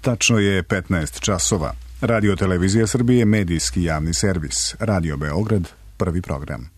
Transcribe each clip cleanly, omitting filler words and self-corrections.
Tačno je 15 časova. Radio Televizija Srbije, medijski javni servis. Radio Beograd, prvi program.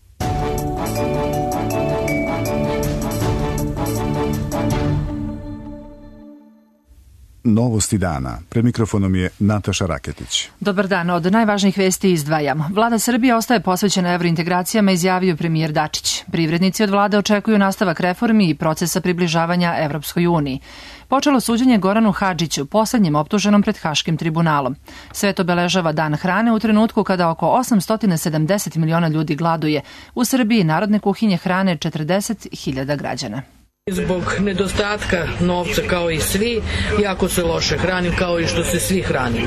Novosti dana. Pred mikrofonom je Nataša Raketić. Dobar dan. Od najvažnijih vesti izdvajamo. Vlada Srbije ostaje posvećena evrointegracijama, izjavio premijer Dačić. Privrednici od vlade očekuju nastavak reformi i procesa približavanja Evropskoj uniji. Počelo suđenje Goranu Hadžiću, poslednjem optuženom pred Haškim tribunalom. Svet obeležava Dan hrane u trenutku kada oko 870 miliona ljudi gladuje. U Srbiji narodne kuhinje hrane 40.000 građana. Zbog nedostatka novca kao i svi, jako se loše hranim kao i što se svi hrani.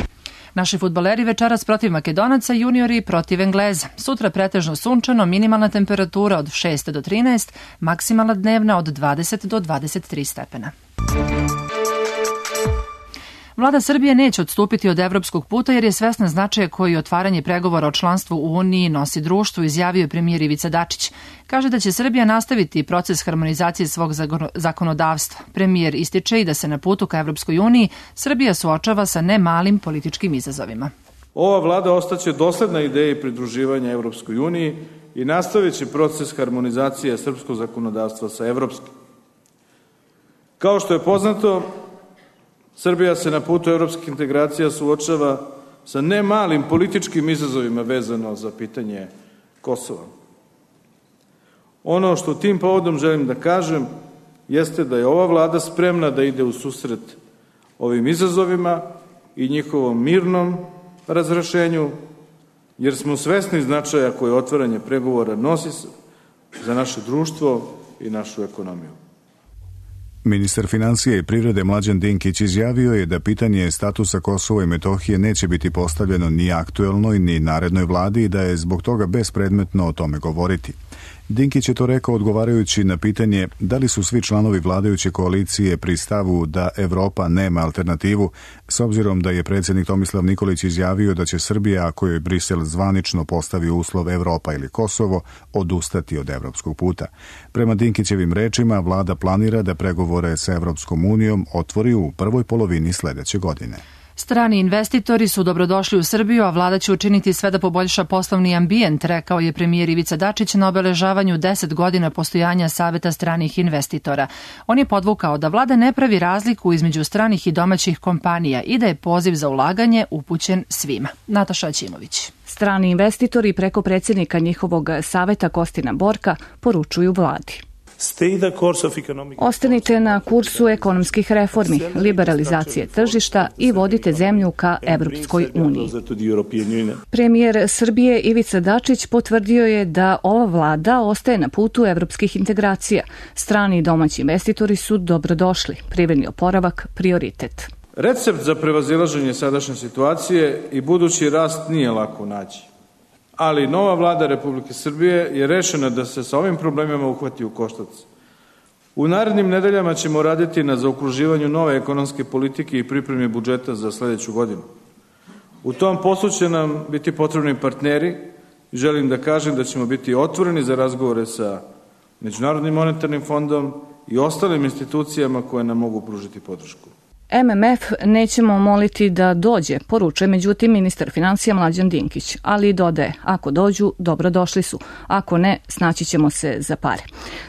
Naši fudbaleri večeras protiv Makedonaca, juniori protiv Engleza. Sutra pretežno sunčano, minimalna temperatura od 6 do 13, maksimalna dnevna od 20 do 23 stepena. Vlada Srbije neće odstupiti od evropskog puta jer je svesna značaja koji otvaranje pregovora o članstvu u Uniji nosi društvu, izjavio je premijer Ivica Dačić. Kaže da će Srbija nastaviti proces harmonizacije svog zakonodavstva. Premijer ističe i da se na putu ka Evropskoj uniji Srbija suočava sa ne malim političkim izazovima. Ova vlada ostaće dosledna ideji pridruživanja Evropskoj uniji i nastavit će proces harmonizacije srpskog zakonodavstva sa evropskim. Kao što je poznato, Srbija se na putu evropskih integracija suočava sa ne malim političkim izazovima vezano za pitanje Kosova. Ono što tim povodom želim da kažem jeste da je ova vlada spremna da ide u susret ovim izazovima i njihovom mirnom razrešenju, jer smo svesni značaja koje otvaranje pregovora nosi za naše društvo i našu ekonomiju. Ministar financija i privrede Mlađan Dinkić izjavio je da pitanje statusa Kosova i Metohije neće biti postavljeno ni aktuelnoj ni narednoj vladi i da je zbog toga bespredmetno o tome govoriti. Dinkić je to rekao odgovarajući na pitanje da li su svi članovi vladajuće koalicije pri stavu da Evropa nema alternativu, s obzirom da je predsjednik Tomislav Nikolić izjavio da će Srbija, ako joj Brisel zvanično postavi uslov Evropa ili Kosovo, odustati od evropskog puta. Prema Dinkićevim rečima, vlada planira da pregovore sa Evropskom unijom otvori u prvoj polovini sledeće godine. Strani investitori su dobrodošli u Srbiju, a vlada će učiniti sve da poboljša poslovni ambijent, rekao je premijer Ivica Dačić na obeležavanju 10 godina postojanja Saveta stranih investitora. On je podvukao da vlada ne pravi razliku između stranih i domaćih kompanija i da je poziv za ulaganje upućen svima. Nataša Aćimović. Strani investitori preko predsjednika njihovog saveta Kostina Borka poručuju vladi. Ostanite na kursu ekonomskih reformi, liberalizacije tržišta i vodite zemlju ka Evropskoj uniji. Premijer Srbije Ivica Dačić potvrdio je da ova vlada ostaje na putu evropskih integracija. Strani i domaći investitori su dobrodošli, privredni oporavak prioritet. Recept za prevazilaženje sadašnje situacije i budući rast nije lako naći. Ali nova vlada Republike Srbije je rešena da se sa ovim problemima uhvati u koštac. U narednim nedeljama ćemo raditi na zaokruživanju nove ekonomske politike i pripremi budžeta za sledeću godinu. U tom poslu će nam biti potrebni partneri. Želim da kažem da ćemo biti otvoreni za razgovore sa Međunarodnim monetarnim fondom i ostalim institucijama koje nam mogu pružiti podršku. MMF nećemo moliti da dođe, poručuje međutim ministar financija Mlađan Dinkić, ali dodaje, ako dođu, dobrodošli su, ako ne, snaći ćemo se za pare.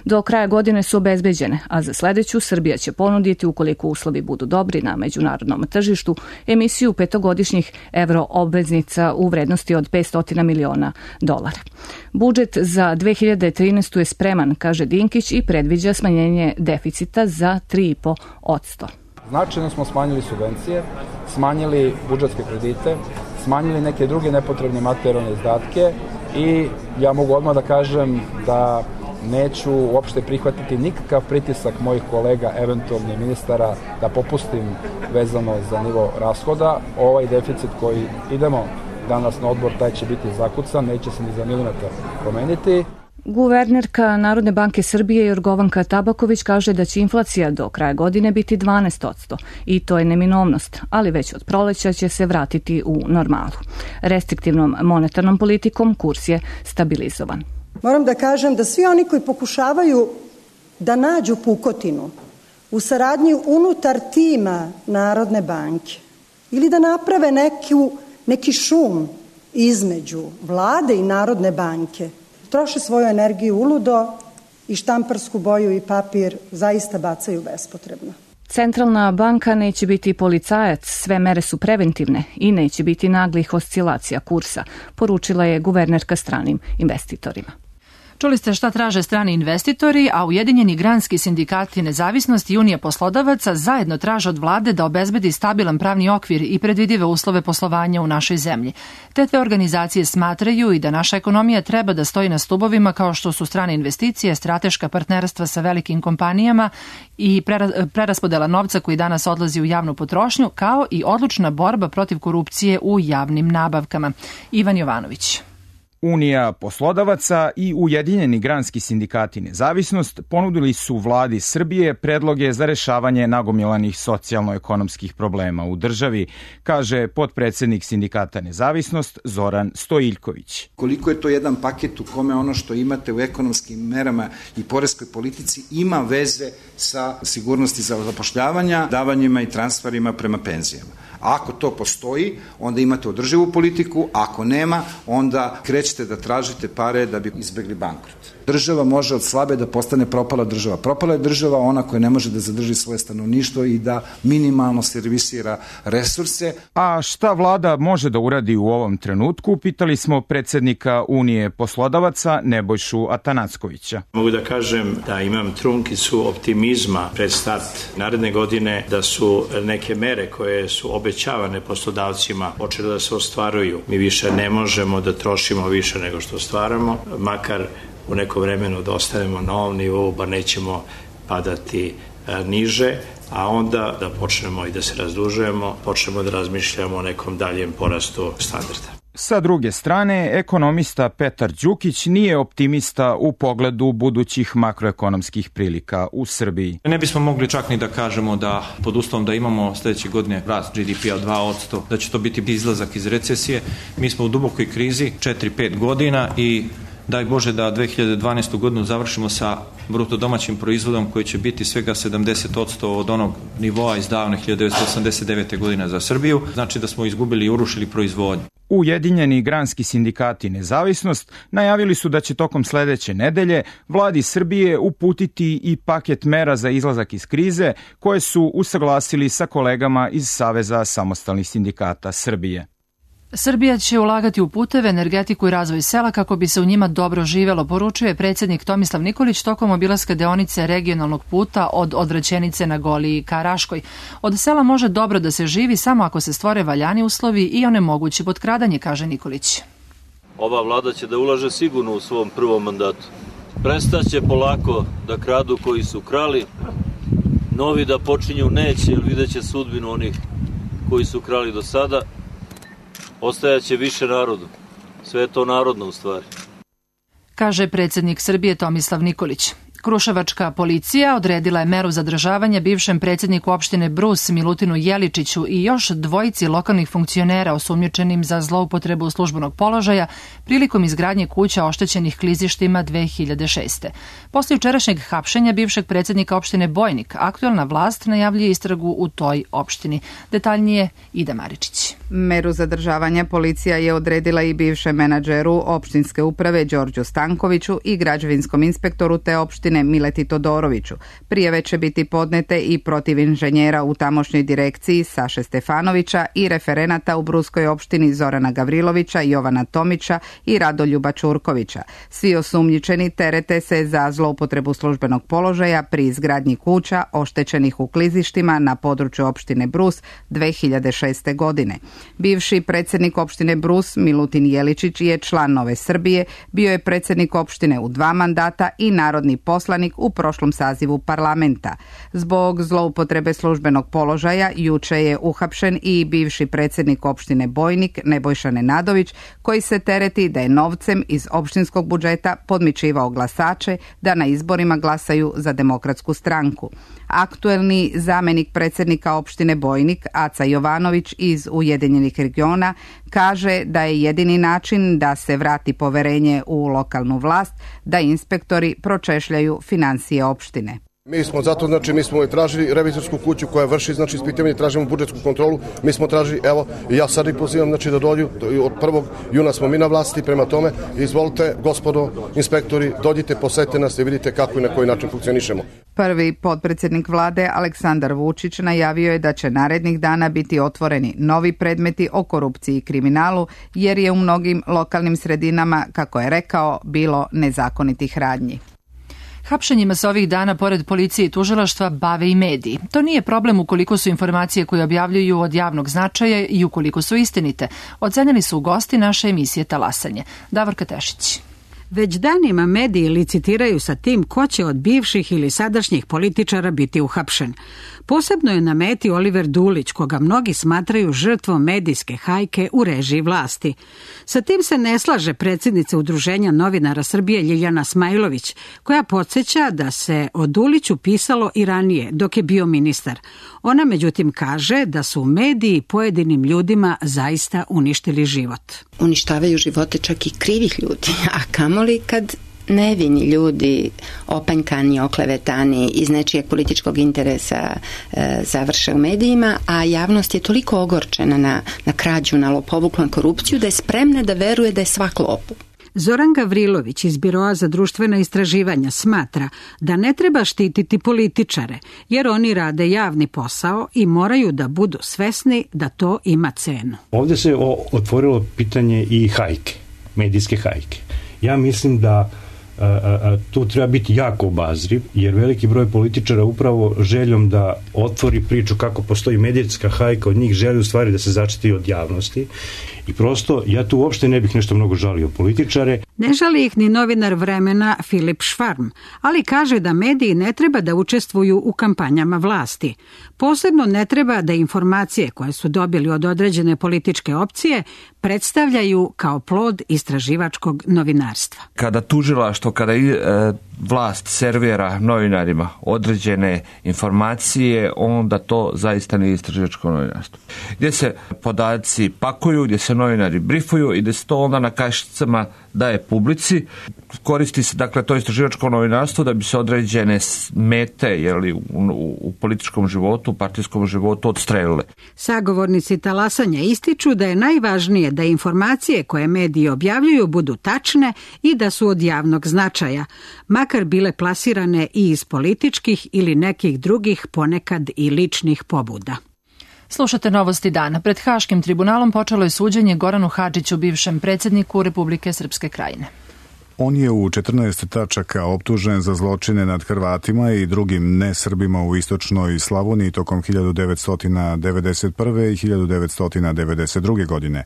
Do kraja godine su obezbeđene, a za sledeću Srbija će ponuditi, ukoliko uslovi budu dobri na međunarodnom tržištu, emisiju petogodišnjih evroobveznica u vrednosti od $500 miliona. Budžet za 2013. je spreman, kaže Dinkić, i predviđa smanjenje deficita za 3,5%. Značajno smo smanjili subvencije, smanjili budžetske kredite, smanjili neke druge nepotrebne materijalne izdatke i ja mogu odmah da kažem da neću uopšte prihvatiti nikakav pritisak mojih kolega, eventualnih ministara, da popustim vezano za nivo rashoda. Ovaj deficit koji idemo danas na odbor, taj će biti zakucan, neće se ni za milimetar promeniti. Guvernerka Narodne banke Srbije Jorgovanka Tabaković kaže da će inflacija do kraja godine biti 12% i to je neminovnost, ali već od proleća će se vratiti u normalu. Restriktivnom monetarnom politikom kurs je stabilizovan. Moram da kažem da svi oni koji pokušavaju da nađu pukotinu u saradnji unutar tima Narodne banke ili da naprave neki šum između vlade i Narodne banke. Troše svoju energiju uludo i štamparsku boju i papir zaista bacaju bespotrebno. Centralna banka neće biti policajac, sve mere su preventivne i neće biti naglih oscilacija kursa, poručila je guvernerka stranim investitorima. Čuli ste šta traže strani investitori, a Ujedinjeni granski sindikati Nezavisnost i Unija poslodavaca zajedno traže od vlade da obezbedi stabilan pravni okvir i predvidive uslove poslovanja u našoj zemlji. Te dve organizacije smatraju i da naša ekonomija treba da stoji na stubovima kao što su strane investicije, strateška partnerstva sa velikim kompanijama i preraspodela novca koji danas odlazi u javnu potrošnju, kao i odlučna borba protiv korupcije u javnim nabavkama. Ivan Jovanović. Unija poslodavaca i Ujedinjeni granski sindikati Nezavisnost ponudili su vladi Srbije predloge za rešavanje nagomilanih socijalno-ekonomskih problema u državi, kaže potpredsednik sindikata Nezavisnost Zoran Stojiljković. Koliko je to jedan paket u kome ono što imate u ekonomskim merama i poreskoj politici ima veze sa sigurnosti za zapošljavanja, davanjima i transferima prema penzijama. Ako to postoji, onda imate održivu politiku, ako nema, onda krećete da tražite pare da bi izbegli bankrot. Država može od slabe da postane propala država. Propala je država ona koja ne može da zadrži svoje stanovništvo i da minimalno servisira resurse. A šta vlada može da uradi u ovom trenutku, pitali smo predsednika Unije poslodavaca Nebojšu Atanackovića. Mogu da kažem da imam trunkicu optimizma pred start naredne godine, da su neke mere koje su obećavane poslodavcima počele da se ostvaruju. Mi više ne možemo da trošimo više nego što stvaramo, makar u neko vremenu da ostanemo na ovom nivou, ba nećemo padati niže, a onda da počnemo i da se razdužujemo, počnemo da razmišljamo o nekom daljem porastu standarda. Sa druge strane, ekonomista Petar Đukić nije optimista u pogledu budućih makroekonomskih prilika u Srbiji. Ne bismo mogli čak ni da kažemo da pod uslovom da imamo sledeće godine rast GDP-a 2%, da će to biti izlazak iz recesije. Mi smo u dubokoj krizi 4-5 godina i daj Bože da 2012. godinu završimo sa bruto domaćim proizvodom koji će biti svega 70% od onog nivoa iz davne 1989. godine za Srbiju. Znači da smo izgubili i urušili proizvodnju. Ujedinjeni granski sindikati Nezavisnost najavili su da će tokom sledeće nedelje vladi Srbije uputiti i paket mera za izlazak iz krize koje su usaglasili sa kolegama iz Saveza samostalnih sindikata Srbije. Srbija će ulagati u puteve, energetiku i razvoj sela kako bi se u njima dobro živelo, poručuje predsjednik Tomislav Nikolić tokom obilaska deonice regionalnog puta od Odvraćenice na Goliji ka Raškoj. Od sela može dobro da se živi samo ako se stvore valjani uslovi i onemogući potkradanje, kaže Nikolić. Ova vlada će da ulaže sigurno u svom prvom mandatu. Prestaće polako da kradu koji su krali, novi da počinju neće, jer vidjet će sudbinu onih koji su krali do sada. Ostajaće više narodu. Sve je to narodno u stvari. Kaže predsjednik Srbije Tomislav Nikolić. Kruševačka policija odredila je meru zadržavanja bivšem predsjedniku opštine Brus Milutinu Jeličiću i još dvojici lokalnih funkcionera osumnjičenim za zloupotrebu službenog položaja prilikom izgradnje kuća oštećenih klizištima 2006. Posle jučerašnjeg hapšenja bivšeg predsjednika opštine Bojnik, aktuelna vlast najavljuje istragu u toj opštini. Detaljnije Ida Maričić. Meru zadržavanja policija je odredila i bivšem menadžeru opštinske uprave Đorđu Stankoviću i građevinskom inspektoru te opštine Mileti Todoroviću. Prijave će biti podnete i protiv inženjera u tamošnjoj direkciji Saše Stefanovića i referenata u Bruskoj opštini Zorana Gavrilovića, Jovana Tomića i Radoljuba Čurkovića. Svi osumnjičeni terete se za zloupotrebu službenog položaja pri izgradnji kuća oštećenih u klizištima na području opštine Brus 2006. godine. Bivši predsjednik opštine Brus Milutin Jeličić je član Nove Srbije, bio je predsjednik opštine u 2 mandata i narodni poslanik u prošlom sazivu parlamenta. Zbog zloupotrebe službenog položaja juče je uhapšen i bivši predsjednik opštine Bojnik Nebojša Nenadović, koji se tereti da je novcem iz opštinskog budžeta podmićivao glasače da na izborima glasaju za Demokratsku stranku. Aktuelni zamenik predsjednika opštine Bojnik, Aca Jovanović iz Ujedinjenih regiona, kaže da je jedini način da se vrati poverenje u lokalnu vlast da inspektori pročešljaju finansije opštine. Mi smo zato, mi smo tražili revizorsku kuću koja vrši, ispitivanje, tražimo budžetsku kontrolu, mi smo tražili, evo, ja sad i pozivam, da dođu, od 1. juna smo mi na vlasti, prema tome, izvolite, gospodo, inspektori, dođite, posetite nas i vidite kako i na koji način funkcionišemo. Prvi potpredsjednik vlade Aleksandar Vučić najavio je da će narednih dana biti otvoreni novi predmeti o korupciji i kriminalu, jer je u mnogim lokalnim sredinama, kako je rekao, bilo nezakonitih radnji. Hapšenjima se ovih dana, pored policije i tužilaštva, bave i mediji. To nije problem ukoliko su informacije koje objavljuju od javnog značaja i ukoliko su istinite. Ocenili su gosti naše emisije Talasanje. Davorka Tešić. Već danima mediji licitiraju sa tim ko će od bivših ili sadašnjih političara biti uhapšen. Posebno je na meti Oliver Dulić, koga mnogi smatraju žrtvom medijske hajke u režiji vlasti. Sa tim se ne slaže predsjednica Udruženja novinara Srbije Ljiljana Smajlović, koja podsjeća da se o Duliću pisalo i ranije, dok je bio ministar. Ona međutim kaže da su mediji pojedinim ljudima zaista uništili život. Uništavaju živote čak i krivih ljudi, a kamoli kad nevini ljudi, opanjkani, oklevetani, iz nečijeg političkog interesa završe u medijima, a javnost je toliko ogorčena na krađu, na lopovuk, na korupciju, da je spremna da veruje da je svak lopov. Zoran Gavrilović iz Biroa za društvena istraživanja smatra da ne treba štititi političare, jer oni rade javni posao i moraju da budu svesni da to ima cenu. Ovdje se otvorilo pitanje i hajke, medijske hajke. Ja mislim da tu treba biti jako obazriv, jer veliki broj političara upravo željom da otvori priču kako postoji medijska hajka od njih želi u stvari da se začeti od javnosti i prosto ja tu uopšte ne bih nešto mnogo žalio političare. Ne žali ih ni novinar Vremena Filip Švarm, ali kaže da mediji ne treba da učestvuju u kampanjama vlasti. Posebno ne treba da informacije koje su dobili od određene političke opcije predstavljaju kao plod istraživačkog novinarstva. Kada tužilaštvo, kada vlast servira novinarima određene informacije, onda to zaista nije istraživačko novinarstvo. Gdje se podaci pakuju, gdje se novinari brifuju i gdje se to onda na kašicama daje publici. Koristi se dakle to istraživačko novinarstvo da bi se određene mete u političkom životu, u partijskom životu odstrelile. Sagovornici Talasanja ističu da je najvažnije da informacije koje mediji objavljuju budu tačne i da su od javnog značaja, makar bile plasirane i iz političkih ili nekih drugih, ponekad i ličnih pobuda. Slušate Novosti dana. Pred Haškim tribunalom počelo je suđenje Goranu Hadžiću, bivšem predsjedniku Republike Srpske Krajine. On je u 14 tačaka optužen za zločine nad Hrvatima i drugim nesrbima u istočnoj Slavoniji tokom 1991. i 1992. godine.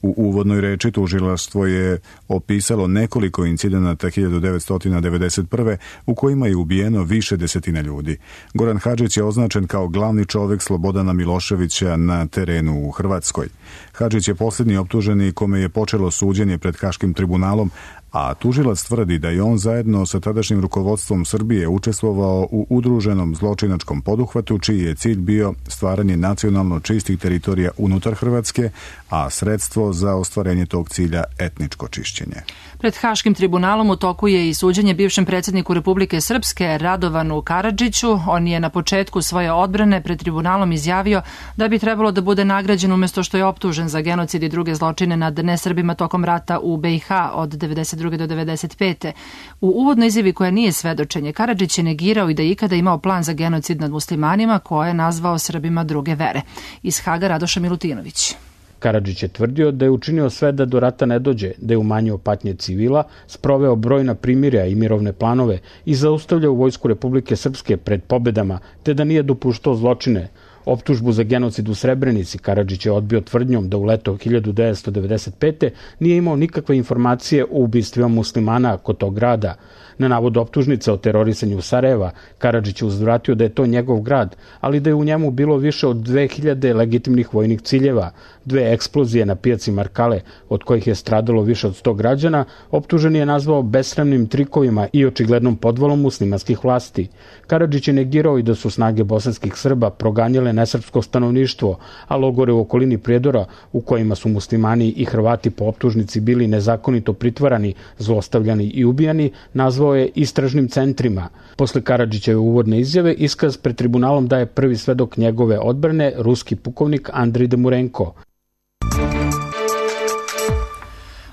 U uvodnoj reči tužilaštvo je opisalo nekoliko incidenata 1991. u kojima je ubijeno više desetina ljudi. Goran Hadžić je označen kao glavni čovjek Slobodana Miloševića na terenu u Hrvatskoj. Hadžić je posljednji optuženi kome je počelo suđenje pred Haškim tribunalom, a tužilac tvrdi da je on zajedno sa tadašnjim rukovodstvom Srbije učestvovao u udruženom zločinačkom poduhvatu čiji je cilj bio stvaranje nacionalno čistih teritorija unutar Hrvatske, a sredstvo za ostvarenje tog cilja etničko čišćenje. Pred Haškim tribunalom u toku je i suđenje bivšem predsjedniku Republike Srpske Radovanu Karadžiću. On je na početku svoje odbrane pred tribunalom izjavio da bi trebalo da bude nagrađen umjesto što je optužen za genocid i druge zločine nad nesrbima tokom rata u BiH od 1992. do 1995. U uvodnoj izjavi koja nije svedočenje, Karadžić je negirao i da je ikada imao plan za genocid nad muslimanima koje je nazvao Srbima druge vere. Iz Haga Radoša Milutinović. Karadžić je tvrdio da je učinio sve da do rata ne dođe, da je umanjio patnje civila, sproveo brojna primirja i mirovne planove i zaustavljao vojsku Republike Srpske pred pobedama, te da nije dopuštao zločine. Optužbu za genocid u Srebrenici Karadžić je odbio tvrdnjom da u leto 1995. nije imao nikakve informacije o ubistvima muslimana kod tog grada. Na navod optužnice o terorisanju Sarajeva, Karadžić je uzvratio da je to njegov grad, ali da je u njemu bilo više od 2000 legitimnih vojnih ciljeva, 2 eksplozije na pijaci Markale, od kojih je stradalo više od 100 građana, optuženi je nazvao besramnim trikovima i očiglednom podvalom muslimanskih vlasti. Karadžić je negirao i da su snage bosanskih Srba proganjale nesrpsko stanovništvo, a logore u okolini Prijedora, u kojima su muslimani i Hrvati po optužnici bili nezakonito pritvarani, zlostavljani i ubijani, nazvao je istražnim centrima. Posle Karadžićeve uvodne izjave, iskaz pred tribunalom daje prvi svedok njegove odbrane, ruski pukovnik Andrij Demurenko.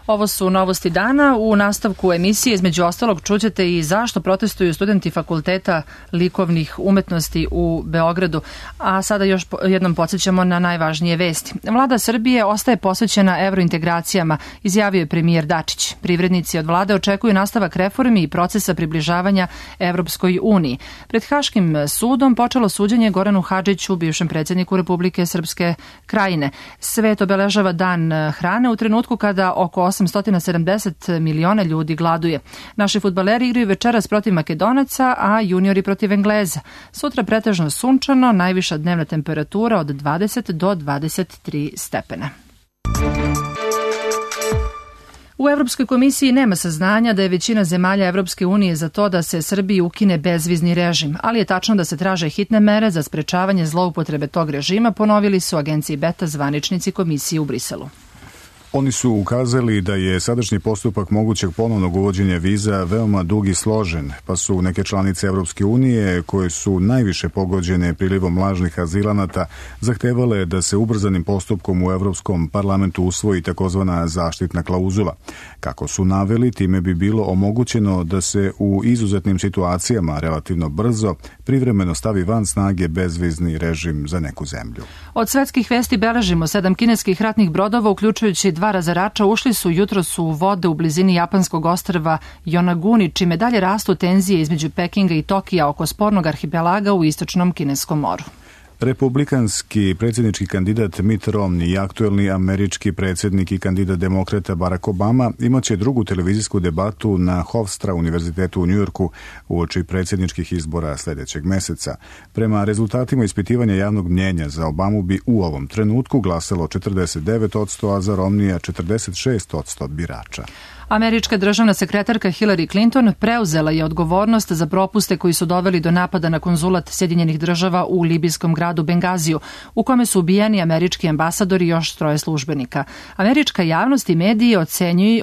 Ovo su novosti dana. U nastavku emisije između ostalog čućete i zašto protestuju studenti Fakulteta likovnih umetnosti u Beogradu. A sada još jednom podsjećamo na najvažnije vesti. Vlada Srbije ostaje posvećena evrointegracijama, izjavio je premijer Dačić. Privrednici od vlade očekuju nastavak reformi i procesa približavanja Evropskoj uniji. Pred Haškim sudom počelo suđenje Goranu Hadžiću, bivšem predsjedniku Republike Srpske Krajine. Svet obeležava dan hrane u trenutku kada oko 870 miliona ljudi gladuje. Naši fudbaleri igraju večeras protiv Makedonaca, a juniori protiv Engleza. Sutra pretežno sunčano, najviša dnevna temperatura od 20 do 23 stepena. U Evropskoj komisiji nema saznanja da je većina zemalja Evropske unije za to da se Srbiji ukine bezvizni režim, ali je tačno da se traže hitne mere za sprečavanje zloupotrebe tog režima, ponovili su agenciji Beta zvaničnici komisije u Briselu. Oni su ukazali da je sadašnji postupak mogućeg ponovnog uvođenja viza veoma dug i složen, pa su neke članice Evropske unije, koje su najviše pogođene prilivom lažnih azilanata, zahtevale da se ubrzanim postupkom u Evropskom parlamentu usvoji takozvana zaštitna klauzula. Kako su naveli, time bi bilo omogućeno da se u izuzetnim situacijama relativno brzo privremeno stavi van snage bezvizni režim za neku zemlju. Od svetskih vesti beležimo 7 kineskih ratnih brodova, uključujući 2 razarača, ušli su jutros u vode u blizini japanskog ostrva Yonaguni, čime dalje rastu tenzije između Pekinga i Tokija oko spornog arhipelaga u istočnom Kineskom moru. Republikanski predsjednički kandidat Mitt Romney i aktuelni američki predsjednik i kandidat demokrata Barack Obama imaće drugu televizijsku debatu na Hofstra univerzitetu u Njujorku uoči predsjedničkih izbora sljedećeg meseca. Prema rezultatima ispitivanja javnog mnjenja za Obamu bi u ovom trenutku glasalo 49%, a za Romneya 46% birača. Američka državna sekretarka Hillary Clinton preuzela je odgovornost za propuste koji su doveli do napada na konzulat Sjedinjenih država u libijskom gradu Bengaziju, u kome su ubijeni američki ambasadori i još 3 službenika. Američka javnost i mediji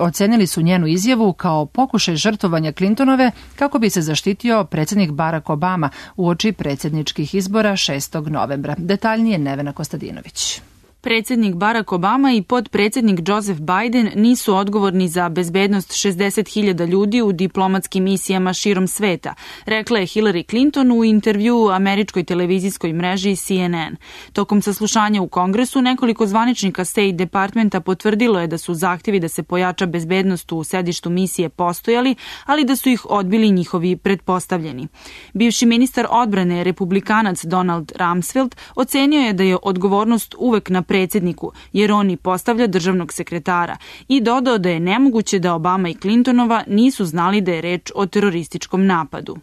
ocenili su njenu izjavu kao pokušaj žrtvovanja Clintonove kako bi se zaštitio predsjednik Barack Obama uoči predsjedničkih izbora 6. novembra. Detaljnije Nevena Kostadinović. Predsjednik Barack Obama i potpredsjednik Joseph Biden nisu odgovorni za bezbednost 60.000 ljudi u diplomatskim misijama širom sveta, rekla je Hillary Clinton u intervjuu američkoj televizijskoj mreži CNN. Tokom saslušanja u Kongresu nekoliko zvaničnika State Departmenta potvrdilo je da su zahtjevi da se pojača bezbednost u sedištu misije postojali, ali da su ih odbili njihovi pretpostavljeni. Bivši ministar odbrane republikanac Donald Rumsfeld ocenio je da je odgovornost uvek na predsjedniku, jer on i postavlja državnog sekretara, i dodao da je nemoguće da Obama i Clintonova nisu znali da je reč o terorističkom napadu.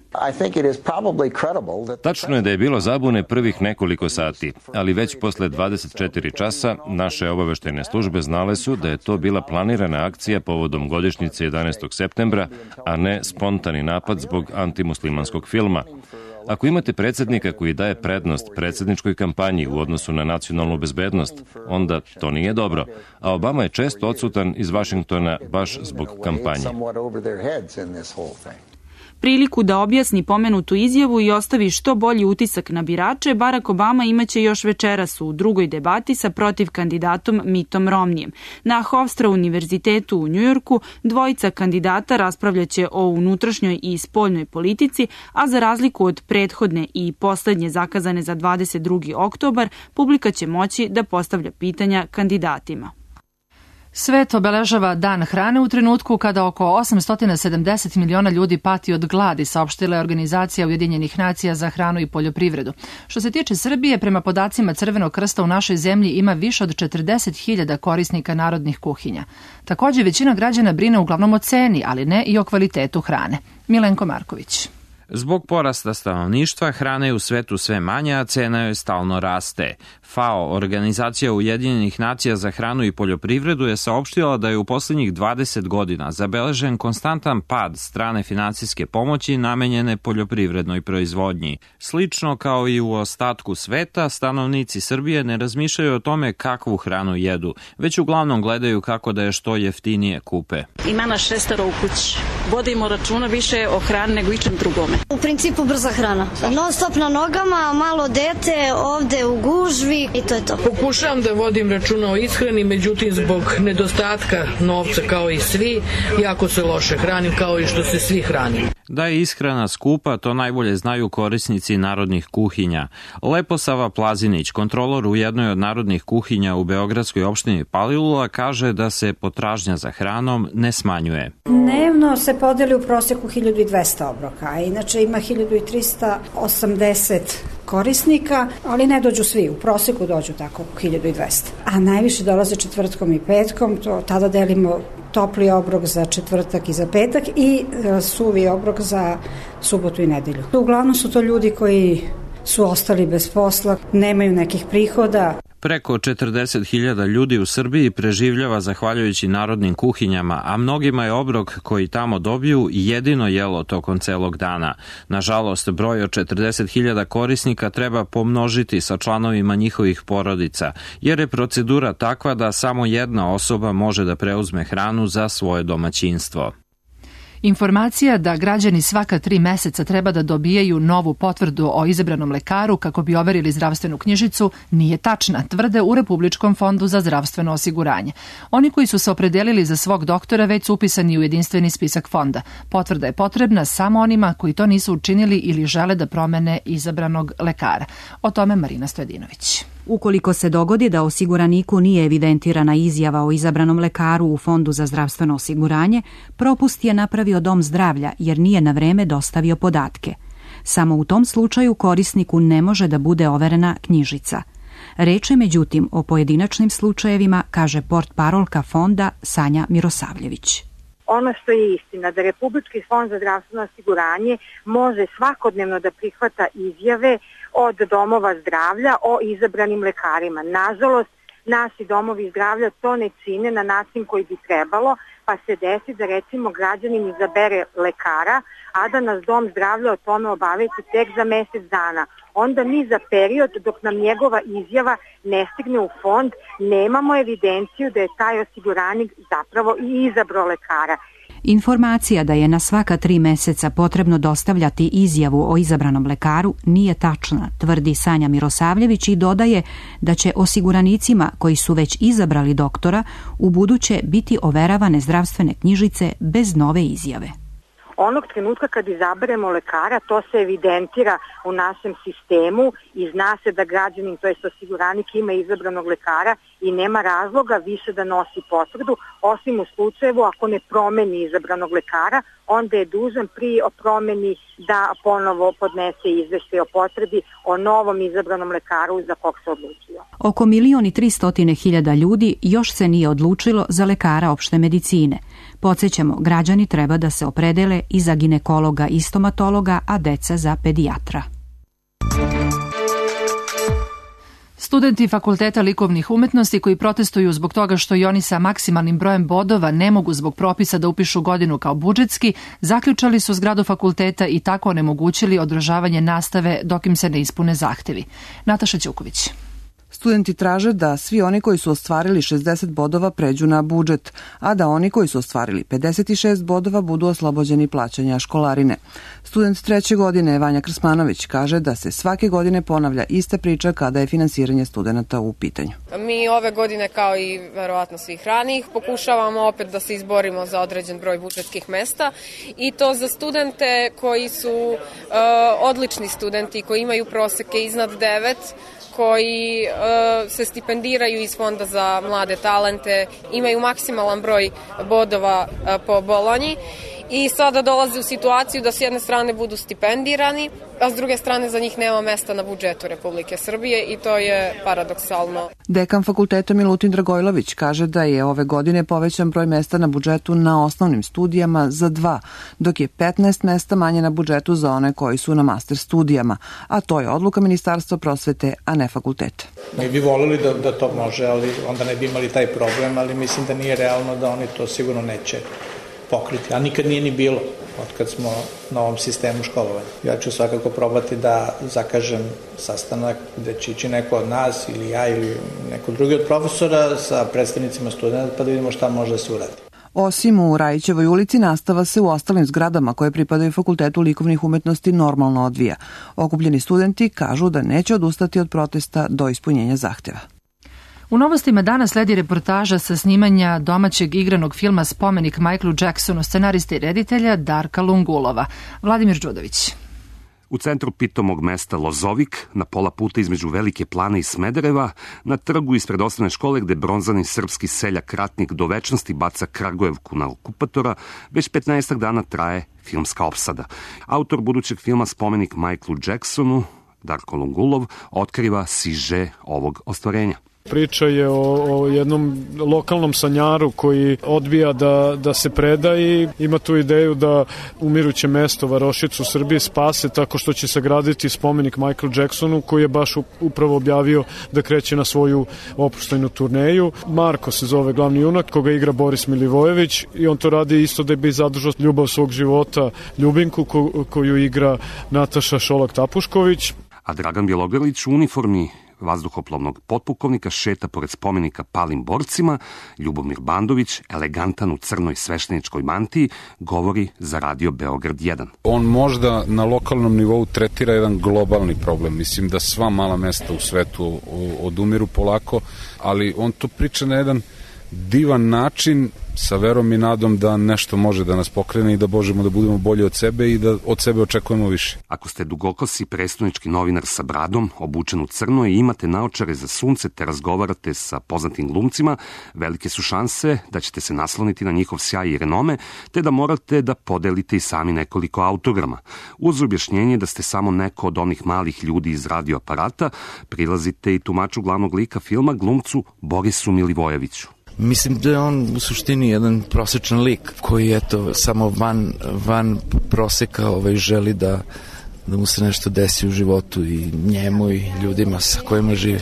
Tačno je da je bilo zabune prvih nekoliko sati, ali već posle 24 časa naše obaveštajne službe znale su da je to bila planirana akcija povodom godišnjice 11. septembra, a ne spontani napad zbog antimuslimanskog filma. Ako imate predsjednika koji daje prednost predsjedničkoj kampanji u odnosu na nacionalnu bezbednost, onda to nije dobro, a Obama je često odsutan iz Vašingtona baš zbog kampanje. Priliku da objasni pomenutu izjavu i ostavi što bolji utisak na birače, Barack Obama imaće još večeras u drugoj debati sa protiv kandidatom Mittom Romneyem. Na Hofstra univerzitetu u Njujorku dvojica kandidata raspravljaće o unutrašnjoj i spoljnoj politici, a za razliku od prethodne i poslednje zakazane za 22. oktobar, publika će moći da postavlja pitanja kandidatima. Svet obeležava dan hrane u trenutku kada oko 870 miliona ljudi pati od gladi, saopštila je Organizacija Ujedinjenih nacija za hranu i poljoprivredu. Što se tiče Srbije, prema podacima Crvenog krsta u našoj zemlji ima više od 40.000 korisnika narodnih kuhinja. Također, većina građana brine uglavnom o ceni, ali ne i o kvalitetu hrane. Milenko Marković. Zbog porasta stanovništva, hrane je u svetu sve manje, a cena joj stalno raste. FAO, Organizacija Ujedinjenih nacija za hranu i poljoprivredu, je saopštila da je u poslednjih 20 godina zabeležen konstantan pad strane finansijske pomoći namenjene poljoprivrednoj proizvodnji. Slično kao i u ostatku sveta, stanovnici Srbije ne razmišljaju o tome kakvu hranu jedu, već uglavnom gledaju kako da je što jeftinije kupe. Ima nas 6 u kući. Vodimo računa više o hrani nego ičem drugome. U principu brza hrana. Non stop na nogama, malo dete, ovde u gužvi i to je to. Pokušavam da vodim računa o ishrani, međutim zbog nedostatka novca kao i svi, jako se loše hranim kao i što se svi hrani. Da je ishrana skupa, to najbolje znaju korisnici narodnih kuhinja. Leposava Plazinić, kontrolor u jednoj od narodnih kuhinja u beogradskoj opštini Palilula, kaže da se potražnja za hranom ne smanjuje. Dnevno se podeli u proseku 1200 obroka, a inače ima 1380 korisnika, ali ne dođu svi, u proseku dođu tako 1200. A najviše dolaze četvrtkom i petkom, tada delimo topli obrok za četvrtak i za petak i suvi obrok za subotu i nedelju. Uglavnom su to ljudi koji su ostali bez posla, nemaju nekih prihoda. Preko 40.000 ljudi u Srbiji preživljava zahvaljujući narodnim kuhinjama, a mnogima je obrok koji tamo dobiju jedino jelo tokom celog dana. Nažalost, broj od 40.000 korisnika treba pomnožiti sa članovima njihovih porodica, jer je procedura takva da samo jedna osoba može da preuzme hranu za svoje domaćinstvo. Informacija da građani svaka 3 meseca treba da dobijaju novu potvrdu o izabranom lekaru kako bi overili zdravstvenu knjižicu nije tačna, tvrde u Republičkom fondu za zdravstveno osiguranje. Oni koji su se opredelili za svog doktora već su upisani u jedinstveni spisak fonda. Potvrda je potrebna samo onima koji to nisu učinili ili žele da promene izabranog lekara. O tome Marina Stojadinović. Ukoliko se dogodi da osiguraniku nije evidentirana izjava o izabranom lekaru u Fondu za zdravstveno osiguranje, propust je napravio dom zdravlja jer nije na vreme dostavio podatke. Samo u tom slučaju korisniku ne može da bude overena knjižica. Reč je međutim o pojedinačnim slučajevima, kaže portparolka fonda Sanja Mirosavljević. Ono što je istina, da Republički fond za zdravstveno osiguranje može svakodnevno da prihvata izjave od domova zdravlja o izabranim lekarima. Nažalost, naši domovi zdravlja to ne čine na način koji bi trebalo, pa se desi da recimo građanin izabere lekara, a da nas dom zdravlja o tome obavesti tek za mesec dana. Onda mi za period dok nam njegova izjava ne stigne u fond, nemamo evidenciju da je taj osiguranik zapravo i izabrao lekara. Informacija da je na svaka 3 meseca potrebno dostavljati izjavu o izabranom lekaru nije tačna, tvrdi Sanja Mirosavljević i dodaje da će osiguranicima koji su već izabrali doktora u buduće biti overavane zdravstvene knjižice bez nove izjave. Onog trenutka kad izaberemo lekara, to se evidentira u našem sistemu i zna se da građanin, to jest osiguranik, ima izabranog lekara i nema razloga više da nosi potvrdu, osim u slučajevu ako ne promeni izabranog lekara, onda je dužan pri promeni da ponovo podnese izveštaj o potvrdi o novom izabranom lekaru za kog se odlučio. Oko 1.300.000 ljudi još se nije odlučilo za lekara opšte medicine. Podsjećamo, građani treba da se opredele i za ginekologa i stomatologa, a deca za pedijatra. Studenti Fakulteta likovnih umetnosti koji protestuju zbog toga što i oni sa maksimalnim brojem bodova ne mogu zbog propisa da upišu godinu kao budžetski, zaključali su zgradu fakulteta i tako onemogućili održavanje nastave dok im se ne ispune zahtevi. Nataša Ćuković. Studenti traže da svi oni koji su ostvarili 60 bodova pređu na budžet, a da oni koji su ostvarili 56 bodova budu oslobođeni plaćanja školarine. Student 3. godine Vanja Krsmanović kaže da se svake godine ponavlja ista priča kada je finansiranje studenta u pitanju. Mi ove godine, kao i verovatno svih ranijih, pokušavamo opet da se izborimo za određen broj budžetskih mesta i to za studente koji su odlični studenti, koji imaju proseke iznad 9, koji se stipendiraju iz Fonda za mlade talente, imaju maksimalan broj bodova po Bolonji i sada dolaze u situaciju da s jedne strane budu stipendirani, a s druge strane za njih nema mesta na budžetu Republike Srbije i to je paradoksalno. Dekan fakulteta Milutin Dragojlović kaže da je ove godine povećan broj mesta na budžetu na osnovnim studijama za 2, dok je 15 mesta manje na budžetu za one koji su na master studijama, a to je odluka Ministarstva prosvete, a ne fakulteta. Mi bi volili da to može, ali onda ne bi imali taj problem, ali mislim da nije realno da oni to sigurno neće pokriti, a nikad nije ni bilo otkad smo na ovom sistemu školovanja. Ja ću svakako probati da zakažem sastanak gde će ići neko od nas ili ja ili neko drugi od profesora sa predstavnicima studenta pa da vidimo šta može da se uradi. Osim u Rajićevoj ulici, nastava se u ostalim zgradama koje pripadaju Fakultetu likovnih umetnosti normalno odvija. Okupljeni studenti kažu da neće odustati od protesta do ispunjenja zahteva. U novostima danas sledi reportaža sa snimanja domaćeg igranog filma Spomenik Michaelu Jacksonu, scenariste i reditelja Darka Lungulova. Vladimir Đudović. U centru pitomog mesta Lozovik, na pola puta između Velike Plane i Smedereva, na trgu ispred osnovne škole gde bronzani srpski seljak ratnik do večnosti baca Kragujevku na okupatora, već 15 dana traje filmska opsada. Autor budućeg filma Spomenik Michaelu Jacksonu, Darko Lungulov, otkriva siže ovog ostvarenja. Priča je o jednom lokalnom sanjaru koji odbija da se preda i ima tu ideju da umiruće mesto Varošicu u Srbiji spase tako što će sagraditi spomenik Michaelu Jacksonu koji je baš upravo objavio da kreće na svoju oproštajnu turneju. Marko se zove glavni junak koga igra Boris Milivojević i on to radi isto da bi zadržao ljubav svog života Ljubinku koju igra Nataša Šolak-Tapušković. A Dragan Bjelogrlić u uniformi vazduhoplovnog potpukovnika šeta pored spomenika palim borcima, Ljubomir Bandović, elegantan u crnoj svešteničkoj mantiji, govori za Radio Beograd 1. On možda na lokalnom nivou tretira jedan globalni problem. Mislim da sva mala mesta u svetu odumiru polako, ali on to priča na jedan divan način sa verom i nadom da nešto može da nas pokrene i da možemo da budemo bolji od sebe i da od sebe očekujemo više. Ako ste dugokosi prestonički novinar sa bradom, obučen u crno i imate naočare za sunce te razgovarate sa poznatim glumcima, velike su šanse da ćete se nasloniti na njihov sjaj i renome, te da morate da podelite i sami nekoliko autograma. Uz objašnjenje da ste samo neko od onih malih ljudi iz radioaparata, prilazite i tumaču glavnog lika filma, glumcu Borisu Milivojeviću. Mislim da je on u suštini jedan prosečan lik koji eto samo van proseka želi da mu se nešto desi u životu i njemu i ljudima sa kojima živi.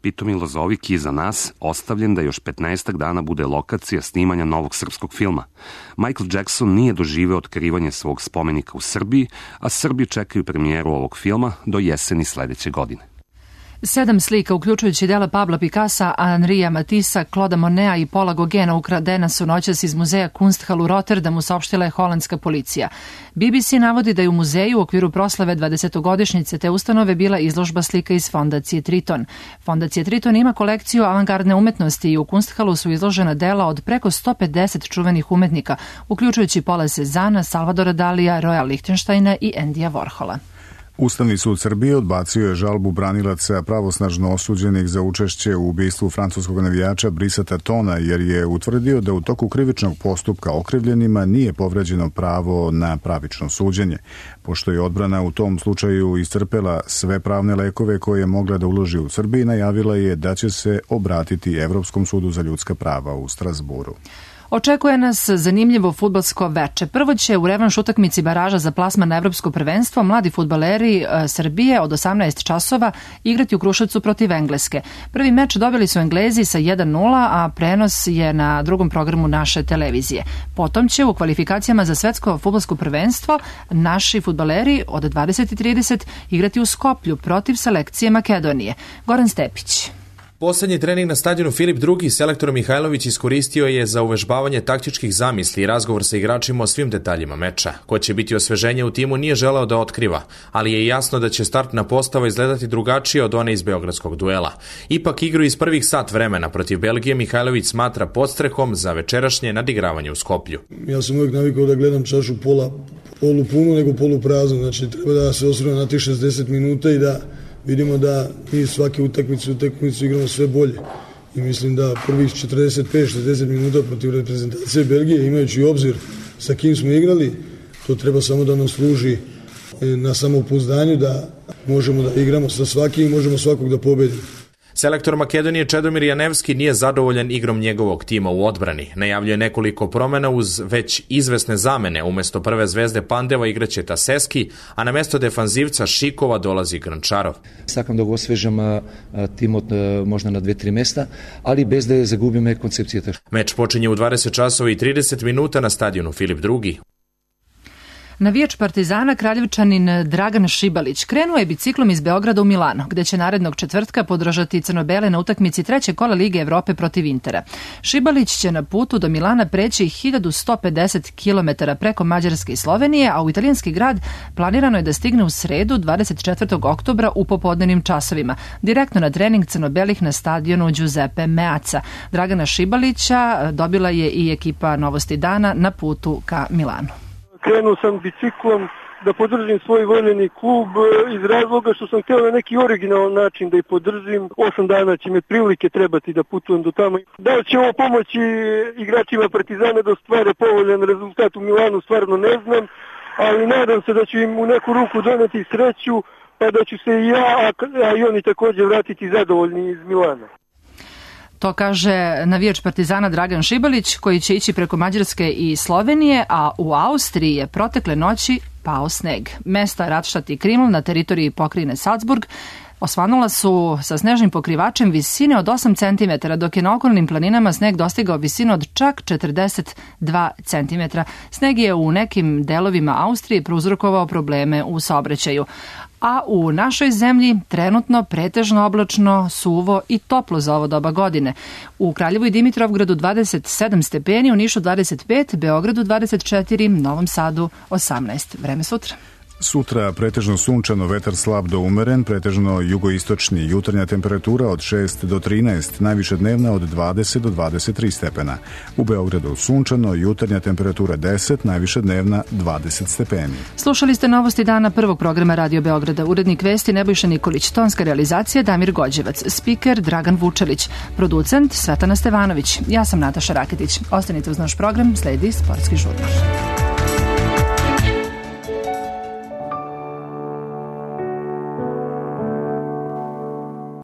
Pitomi Lozovik je za nas ostavljen da još 15 dana bude lokacija snimanja novog srpskog filma. Michael Jackson nije doživeo otkrivanje svog spomenika u Srbiji, a Srbi čekaju premijeru ovog filma do jeseni sledeće godine. 7 slika, uključujući dela Pabla Picassa, Henrija Matissa, Clauda Moneta i Paula Gauguina ukradena su noćas iz muzeja Kunsthal u Rotterdamu, saopštila je holandska policija. BBC navodi da je u muzeju u okviru proslave 20-godišnjice te ustanove bila izložba slika iz Fondacije Triton. Fondacija Triton ima kolekciju avangardne umetnosti i u Kunsthalu su izložena dela od preko 150 čuvenih umetnika, uključujući Paula Cezanna, Salvadora Dalija, Roya Lichtensteina i Endija Warhola. Ustavni sud Srbije odbacio je žalbu branilaca pravosnažno osuđenih za učešće u ubistvu francuskog navijača Brissata Tona, jer je utvrdio da u toku krivičnog postupka okrivljenima nije povređeno pravo na pravično suđenje. Pošto je odbrana u tom slučaju iscrpela sve pravne lekove koje je mogla da uloži u Srbiji, najavila je da će se obratiti Evropskom sudu za ljudska prava u Strasburu. Očekuje nas zanimljivo fudbalsko veče. Prvo će u revanš utakmici baraža za plasman na evropsko prvenstvo mladi fudbaleri Srbije od 18 časova igrati u Kruševcu protiv Engleske. Prvi meč dobili su Englezi sa 1-0, a prenos je na drugom programu naše televizije. Potom će u kvalifikacijama za svetsko fudbalsko prvenstvo naši fudbaleri od 20:30 igrati u Skoplju protiv selekcije Makedonije. Goran Stepić. Poslednji trening na stadionu Filip II selektor Mihajlović iskoristio je za uvežbavanje taktičkih zamisli i razgovor sa igračima o svim detaljima meča. Ko će biti osveženje u timu nije želeo da otkriva, ali je jasno da će startna postava izgledati drugačije od one iz beogradskog duela. Ipak igru iz prvih sat vremena protiv Belgije Mihajlović smatra podstrehom za večerašnje nadigravanje u Skoplju. Ja sam uvijek navikao da gledam čašu polupunu nego polupraznu, znači treba da se osvrame na tih 60 minuta i da vidimo da mi svake utakmicu igramo sve bolje. I mislim da prvih 45-60 minuta protiv reprezentacije Belgije, imajući obzir sa kim smo igrali, to treba samo da nam služi na samopouzdanju da možemo da igramo sa svakim i možemo svakog da pobedimo. Selektor Makedonije Čedomir Janevski nije zadovoljan igrom njegovog tima u odbrani. Najavljuje nekoliko promena uz već izvesne zamene. Umesto prve zvezde Pandeva igraće Taseski, a na mesto defanzivca Šikova dolazi Grančarov. Sakam da ga osvežam tim od možda na 2-3 mesta, ali bez da je zagubime koncepcije. Meč počinje u 20 časova i 30 minuta na stadionu Filip II. Navijač Partizana, Kraljevčanin Dragan Šibalić krenuo je biciklom iz Beograda u Milano, gde će narednog četvrtka podržati crno-bele na utakmici trećeg kola Lige Evrope protiv Intera. Šibalić će na putu do Milana preći 1150 km preko Mađarske i Slovenije, a u italijanski grad planirano je da stigne u sredu 24. oktobra u popodnevnim časovima, direktno na trening crno-belih na stadionu Giuseppe Meazza. Dragana Šibalića dobila je i ekipa Novosti dana na putu ka Milanu. Krenuo sam biciklom da podržim svoj voljeni klub iz razloga što sam htio na neki originalan način da ih podržim. 8 dana će me prilike trebati da putujem do tamo. Da li će ovo pomoći igračima Partizana da ostvare povoljan rezultat u Milanu, stvarno ne znam, ali nadam se da ću im u neku ruku doneti sreću, pa da ću se i ja, a i oni također vratiti zadovoljni iz Milana. To kaže navijač Partizana Dragan Šibalić, koji će ići preko Mađarske i Slovenije, a u Austriji je protekle noći pao sneg. Mesta Radštat i Kriml na teritoriji pokrajine Salzburg osvanula su sa snežnim pokrivačem visine od 8 cm, dok je na okolnim planinama sneg dostigao visinu od čak 42 cm. Sneg je u nekim delovima Austrije prouzrokovao probleme u saobraćaju. A u našoj zemlji trenutno pretežno oblačno, suvo i toplo za ovo doba godine. U Kraljevu i Dimitrovgradu 27 stepeni, u Nišu 25, Beogradu 24, Novom Sadu 18. Vreme sutra. Sutra pretežno sunčano, vetar slab do umeren, pretežno jugoistočni, jutarnja temperatura od 6 do 13, najviše dnevna od 20 do 23 stepena. U Beogradu sunčano, jutarnja temperatura 10, najviše dnevna 20 stepeni. Slušali ste Novosti dana prvog programa Radio Beograda. Urednik vesti Nebojša Nikolić, tonska realizacija Damir Gođevac, spiker Dragan Vučelić, producent Svetana Stevanović. Ja sam Nataša Raketić. Ostanite uz naš program, sledi Sportski žurnal.